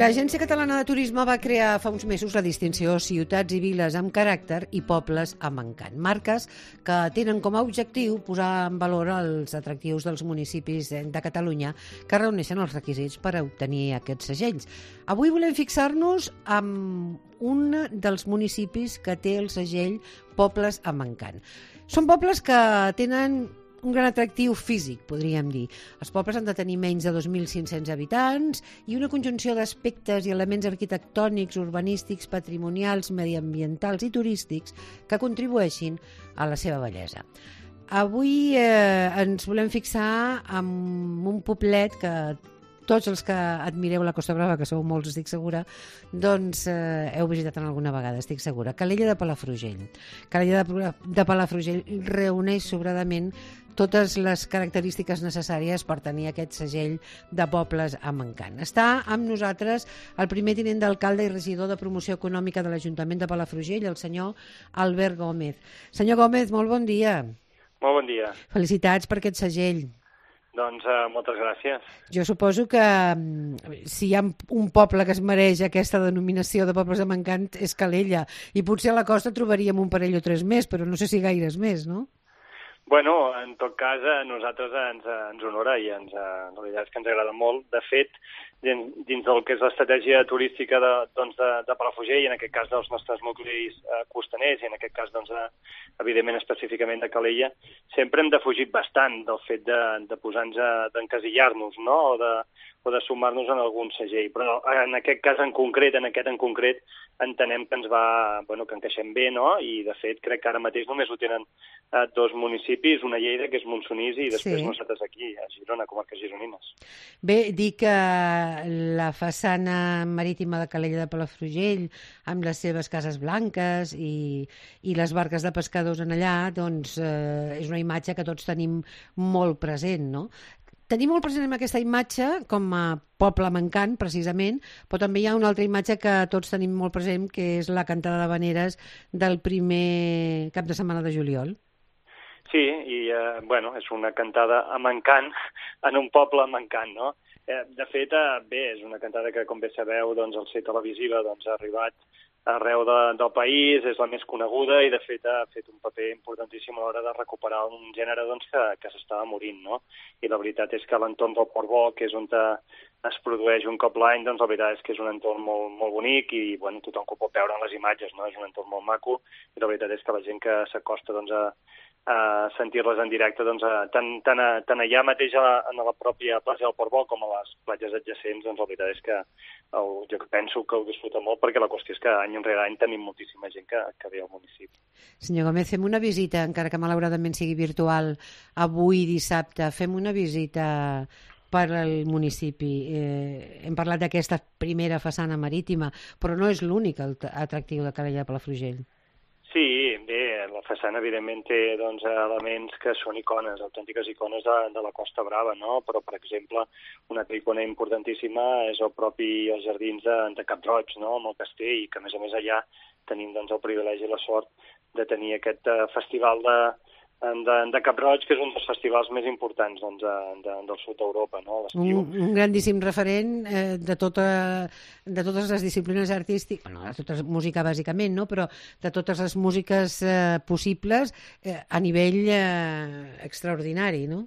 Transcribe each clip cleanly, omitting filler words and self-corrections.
L'Agència Catalana de Turisme va crear fa uns mesos la distinció Ciutats i Viles amb caràcter i Pobles amb encant. Marques que tenen com a objectiu posar en valor els atractius dels municipis de Catalunya que reuneixen els requisits per obtenir aquests segells. Avui volem fixar-nos en un dels municipis que té el segell Pobles amb encant. Són pobles que tenen un gran atractiu físic, podríem dir. Els pobles han de tenir menys de 2.500 habitants i una conjunció d'aspectes i elements arquitectònics, urbanístics, patrimonials, mediambientals i turístics que contribueixin a la seva bellesa. Avui ens volem fixar en un poblet que tots els que admireu la Costa Brava, que sou molts, estic segura, doncs heu visitat en alguna vegada, estic segura. Calella de Palafrugell. Calella de Palafrugell reuneix sobradament totes les característiques necessàries per tenir aquest segell de pobles amb encant. Està amb nosaltres el primer tinent d'alcalde i regidor de promoció econòmica de l'Ajuntament de Palafrugell, el senyor Albert Gómez. Senyor Gómez, molt bon dia. Molt bon dia. Felicitats per aquest segell. Doncs moltes gràcies. Jo suposo que si hi ha un poble que es mereix aquesta denominació de pobles amb encant és Calella, i potser a la costa trobaríem un parell o tres més, però no sé si gaires més, no? Bueno, en tot cas, a nosaltres ens honora i la veritat és que ens agrada molt. De fet, dins del que és l'estratègia turística de Palafrugell, i en aquest cas dels nostres nuclis costaners, i en aquest cas, evidentment, específicament de Calella, sempre hem defugit bastant del fet de posar-nos, d'encasillar-nos, no?, o de sumar-nos en algun segell. Però en aquest cas en concret, entenem que ens va, que encaixem bé, no?, i de fet crec que ara mateix només ho tenen dos municipis, una Lleida, que és Montsonís, i després nosaltres aquí, a Girona, comarques gironines. Bé, dir que la façana marítima de Calella de Palafrugell, amb les seves cases blanques i les barques de pescadors en allà, doncs és una imatge que tots tenim molt present, no? Tenim molt present aquesta imatge com a poble amb encant, precisament, però també hi ha una altra imatge que tots tenim molt present, que és la cantada d'havaneres del primer cap de setmana de juliol. Sí, i és una cantada amb encant en un poble amb encant, no? De fet, és una cantada que, com bé sabeu, al ser televisiva ha arribat arreu del país, és la més coneguda i, de fet, ha fet un paper importantíssim a l'hora de recuperar un gènere que s'estava morint, no? I la veritat és que l'entorn del Port Bo, que és on es produeix un cop l'any, la veritat és que és un entorn molt, molt bonic i tothom que ho pot veure en les imatges, no? És un entorn molt maco i la veritat és que la gent que s'acosta a sentir-les en directe, tant allà mateix en la pròpia platja del Port Bo com a les platges adjacents, la veritat és que jo penso que ho disfruta molt, perquè la qüestió és que any rere any tenim moltíssima gent que ve al municipi. Senyor Gómez, fem una visita, encara que malauradament sigui virtual, avui dissabte, fem una visita per al municipi. Hem parlat d'aquesta primera façana marítima, però no és l'únic atractiu de Calella de Palafrugell. Sí, bé, la façana evidentment té elements que són icones, autèntiques icones de la Costa Brava, no? Però, per exemple, una altra icona importantíssima és els jardins de Cap Roig, no?, amb el castell, i que a més allà tenim el privilegi i la sort de tenir aquest festival de Cap Roig, que és un dels festivals més importants del sud d'Europa, no?, a l'estiu. Un grandíssim referent de totes les disciplines artístiques, de tota música bàsicament, no?, però de totes les músiques possibles a nivell extraordinari, no?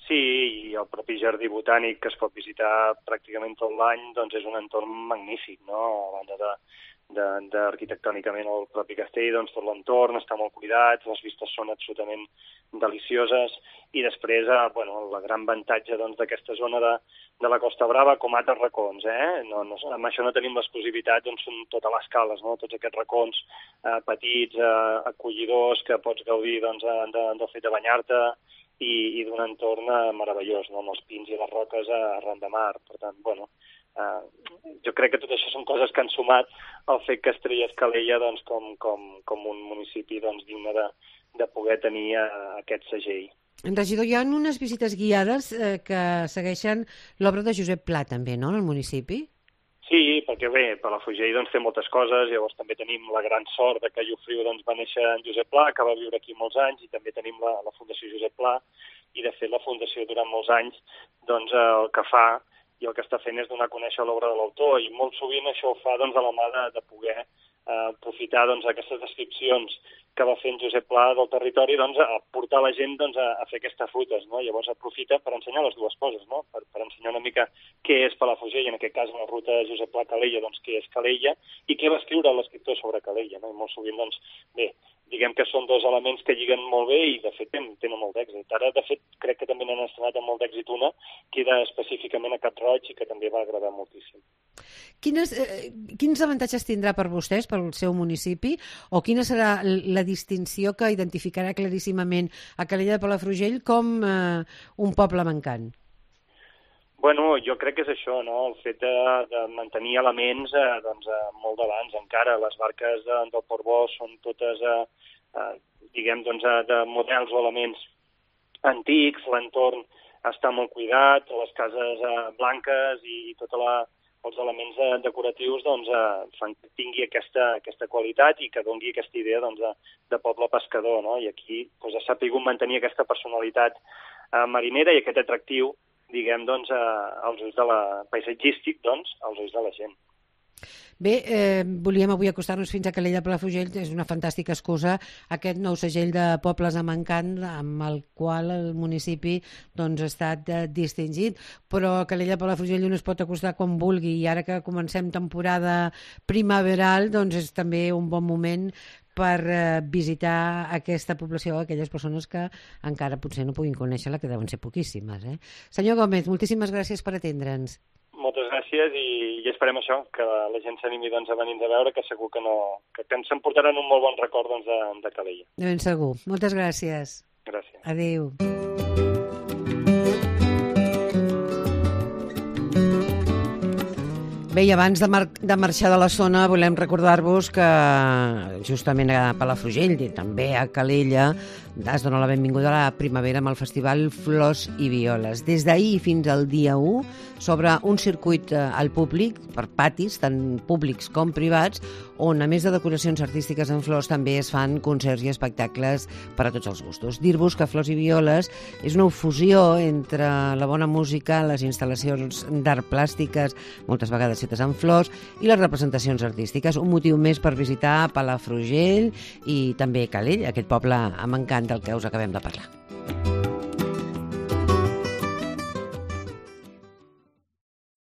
Sí, i el propi jardí botànic, que es pot visitar pràcticament tot l'any, és un entorn magnífic, no?, a banda arquitectònicament el propi castell, tot l'entorn està molt cuidat, les vistes són absolutament delicioses, i després, el gran avantatge d'aquesta zona de la Costa Brava, com altres racons, amb això no tenim l'exclusivitat, són totes les cales, no?, tots aquests racons petits, acollidors, que pots gaudir del fet de banyar-te, i d'un entorn meravellós, no?, amb els pins i les roques arran de mar. Per tant, jo crec que tot això són coses que han sumat el fet que Estrelles Calella com un municipi digne de poder tenir aquest segell. Regidor, hi ha unes visites guiades que segueixen l'obra de Josep Pla, també, no?, en el municipi? Sí, perquè bé, Palafrugell té moltes coses, llavors també tenim la gran sort que Llofriu va néixer en Josep Pla, que va viure aquí molts anys, i també tenim la Fundació Josep Pla, i de fet la Fundació durant molts anys el que fa i el que està fent és donar a conèixer l'obra de l'autor, i molt sovint això ho fa doncs, a la mà de poder aprofitar doncs, aquestes descripcions que va fent Josep Pla del territori, doncs, a portar la gent doncs, a fer aquestes rutes, no? Llavors aprofita per ensenyar les dues coses, no? Per ensenyar una mica què és Palafrugell, en aquest cas la ruta de Josep Pla Calella, doncs què és Calella, i què va escriure l'escriptor sobre Calella, no? I molt sovint, doncs, bé, diguem que són dos elements que lliguen molt bé i, de fet, tenen molt d'èxit. Ara, de fet, crec que també n'han estrenat amb molt d'èxit una, que era específicament a Cap-roig i que també va agradar moltíssim. Quins avantatges tindrà per vostès, pel seu municipi, o quina serà la distinció que identificarà claríssimament a Calella de Palafrugell com un poble mancant? Bueno, jo crec que és això, no? El fet de mantenir elements doncs, molt d'abans encara. Les barques del Portbó són totes, diguem, doncs, de models o elements antics, l'entorn està molt cuidat, les cases blanques i els elements decoratius doncs, fan que tingui aquesta qualitat i que doni aquesta idea doncs, de poble pescador, no? I aquí doncs, ha sabut mantenir aquesta personalitat marinera i aquest atractiu, diguem, doncs, als ulls de paisatgístic, doncs, als ulls de la gent. Bé, volíem avui acostar-nos fins a Calella de Palafrugell, és una fantàstica excusa, aquest nou segell de pobles amb encant amb el qual el municipi doncs, ha estat distingit, però a Calella de Palafrugell un es pot acostar quan vulgui i ara que comencem temporada primaveral doncs és també un bon moment per visitar aquesta població, aquelles persones que encara potser no puguin conèixer-la, que deuen ser poquíssimes. Senyor Gómez, moltíssimes gràcies per atendre'ns. Moltes gràcies i esperem això, que la gent s'animi doncs, a venir a veure, que segur que ens emportaran un molt bon record doncs, de Calella. De ben segur. Moltes gràcies. Gràcies. Adéu. Bé, i abans de marxar de la zona volem recordar-vos que justament a Palafrugell i també a Calella es dona la benvinguda a la primavera amb el festival Flors i Violes. Des d'ahir fins al dia 1 s'obre un circuit al públic, per patis, tant públics com privats, on a més de decoracions artístiques en flors també es fan concerts i espectacles per a tots els gustos. Dir-vos que Flors i Violes és una fusió entre la bona música, les instal·lacions d'art plàstiques, moltes vegades fetes en flors, i les representacions artístiques. Un motiu més per visitar Palafrugell i també Calella, aquest poble amb encant del que us acabem de parlar.